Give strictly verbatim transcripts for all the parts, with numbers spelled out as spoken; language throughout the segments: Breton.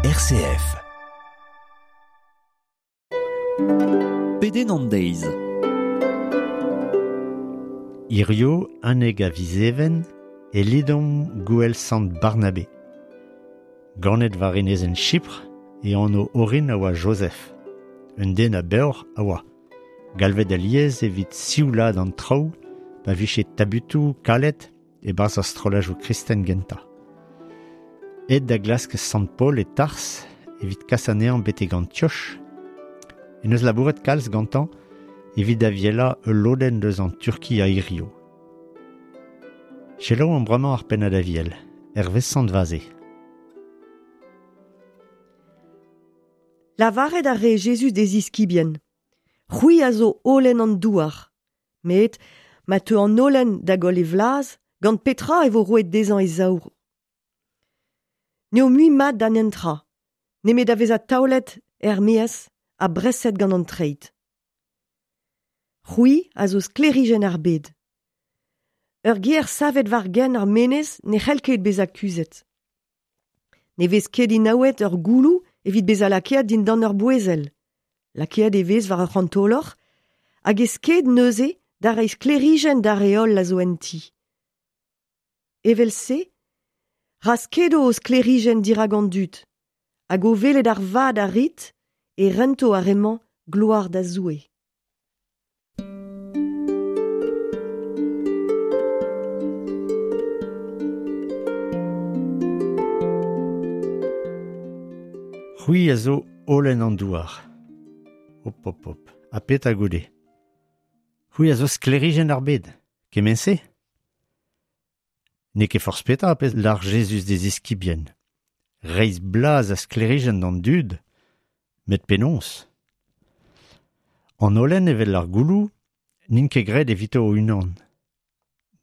R C F. Pedenn an deiz. Hirio, aneg a vizeven, e lidom gouel sant Barnabé. Ganet war enezenn Chypr e anv orin a oa Joseph. Un den a beoc'h a oa. Galvet alies evit sioulad an traoù, pa vije tabutoù kalet e barzh ar strollajoù kristen gentañ. Aet da glask Sant Paul e Tars evit kas anezhañ betek Antioch. En eus labouret kalz gantañ evit avielañ ul lodenn deus an Turki a hirio. Selaou an bremañ ar pennad aviel, hervez Sant Vaze. Lavaret a re Jezuz d'e ziskibien. C'hwi a zo holen an douar. Met ma teu an holen da goll e vlaz, gant petra e vo roet dezhañ e saour. N'eo mui mat d'an entra, nemet da vezañ taolet er maez ha breset gant an treid. C'hwi a zo sklêrijenn ar bed. Ur gêr savet war genn ar menez ne c'hell ket bezañ kuzhet. Ne vez ket inaouet ur gouloù evit bezañ lakaet dindan ur bouezel. Lakaet e vez war ur c'hantolor hag e sked neuze da reiñ sklêrijenn d'ar re holl a zo en ti. Evel-se, ra skedo o sklêrijenn dirak an dud, hag o welet ar vad a rit e rento ar re-mañ gloar da Zoue. C'hwi a zo holen an douar. Hop, hop, hop, ha petra goude. C'hwi a zo sklêrijenn ar bed, kement-se? N'eo ket forzh petra pezh lar Jezuz d'e ziskibien. Reizh blaz a sklêrijenn d'an dud, met penaos. An holen evel ar gouloù n'int ket graet evito o-unan.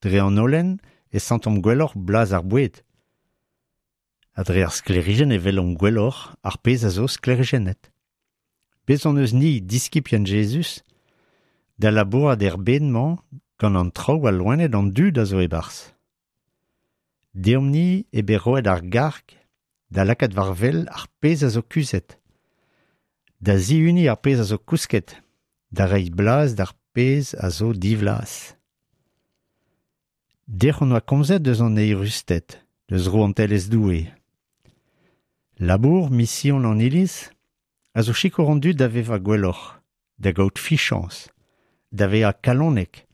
Dre an holen e santomp gwelloc'h blaz ar boued. Ha dre ar sklêrijenn e welomp gwelloc'h ar pezh a zo sklêrijennet. Bez hon eus ni diskibien Jezuz da labourat er bed-mañ gant an traoù a loened an dud a zo e-barzh. Deomp-ni e bet roet ar garg da lakaat war wel ar pezh a zo kuzhet, da zihuniñ ar pezh a zo kousket, da reiñ blaz d'ar pezh a zo divlaz. Dec'h hon oa komzet deus an eürusted, deus rouantelezh Doue. Labour, mision an Iliz, a zo sikour an dud da vevañ gwelloc'h, da gaout fichañs, da vezañ kalonek,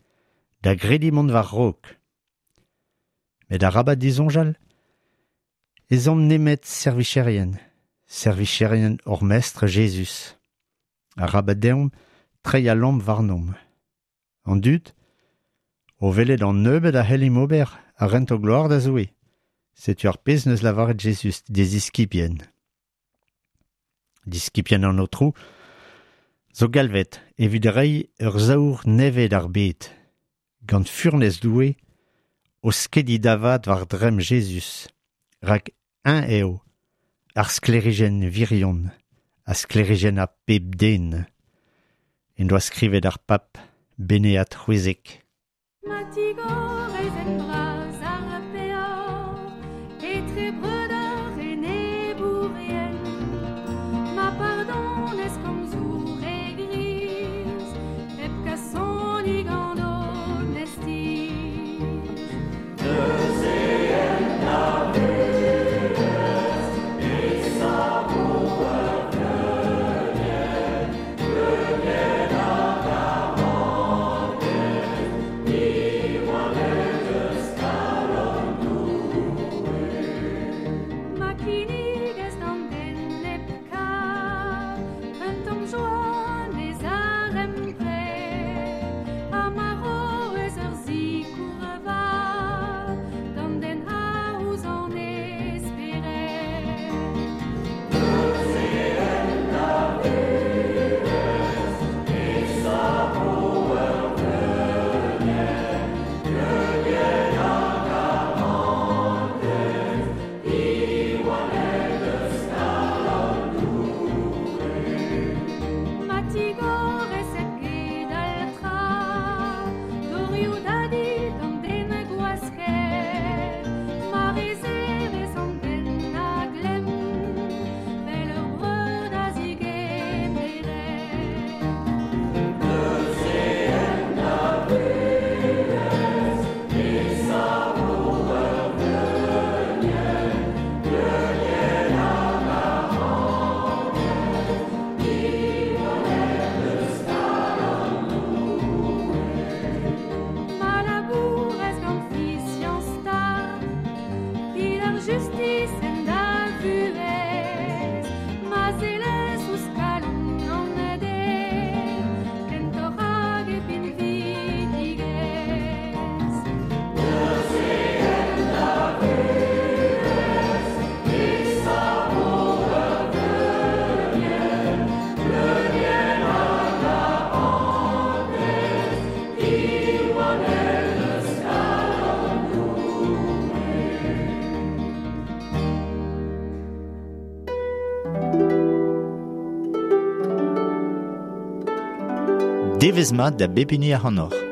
da grediñ mont war-raok. Met arabat disoñjal, ez omp nemet servicherien, servicherien hor mestr Jezuz. Arabat deomp treiñ al lamm warnomp. An dud, o welet an nebeud a c'hellimp ober a rento gloar da Zoue. Setu ar pezh neus lavaret Jezuz d'e ziskibien. Diskibien an Aotrou zo galvet evit reiñ ur saour nevez d'ar bed, gant furnez Doue, o skediñ davat war dremm Jezuz, rak eñ eo ar sklêrijenn virion, a sklêrijenn a pep den, en doa skrivet ar pap Beneat c'hwezek. Ma tigorez en bras ar peoc'h, etre breudeur enebourien, ma pardonez komzoù re griz, hep kasoni gant onestiz. Neuze en Devezh mat da bep hini ac'hanoc'h.